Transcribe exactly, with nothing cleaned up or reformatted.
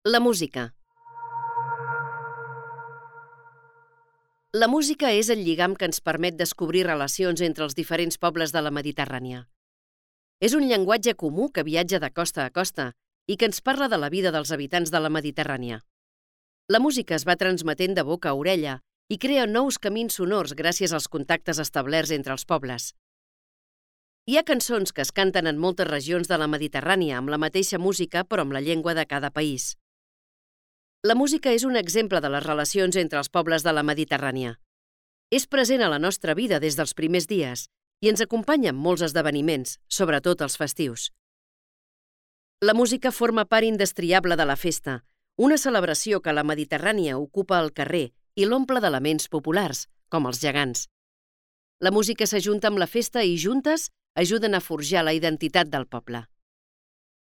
La música. La música és el lligam que ens permet descobrir relacions entre els diferents pobles de la Mediterrània. És un llenguatge comú que viatja de costa a costa i que ens parla de la vida dels habitants de la Mediterrània. La música es va transmetent de boca a orella i crea nous camins sonors gràcies als contactes establerts entre els pobles. Hi ha cançons que es canten en moltes regions de la Mediterrània amb la mateixa música però amb la llengua de cada país. La música és un exemple de les relacions entre els pobles de la Mediterrània. És present a la nostra vida des dels primers dies i ens acompanya en molts esdeveniments, sobretot els festius. La música forma part indestriable de la festa, una celebració que a la Mediterrània ocupa el carrer i l'omple d'elements populars, com els gegants. La música s'ajunta amb la festa i juntes ajuden a forjar la identitat del poble.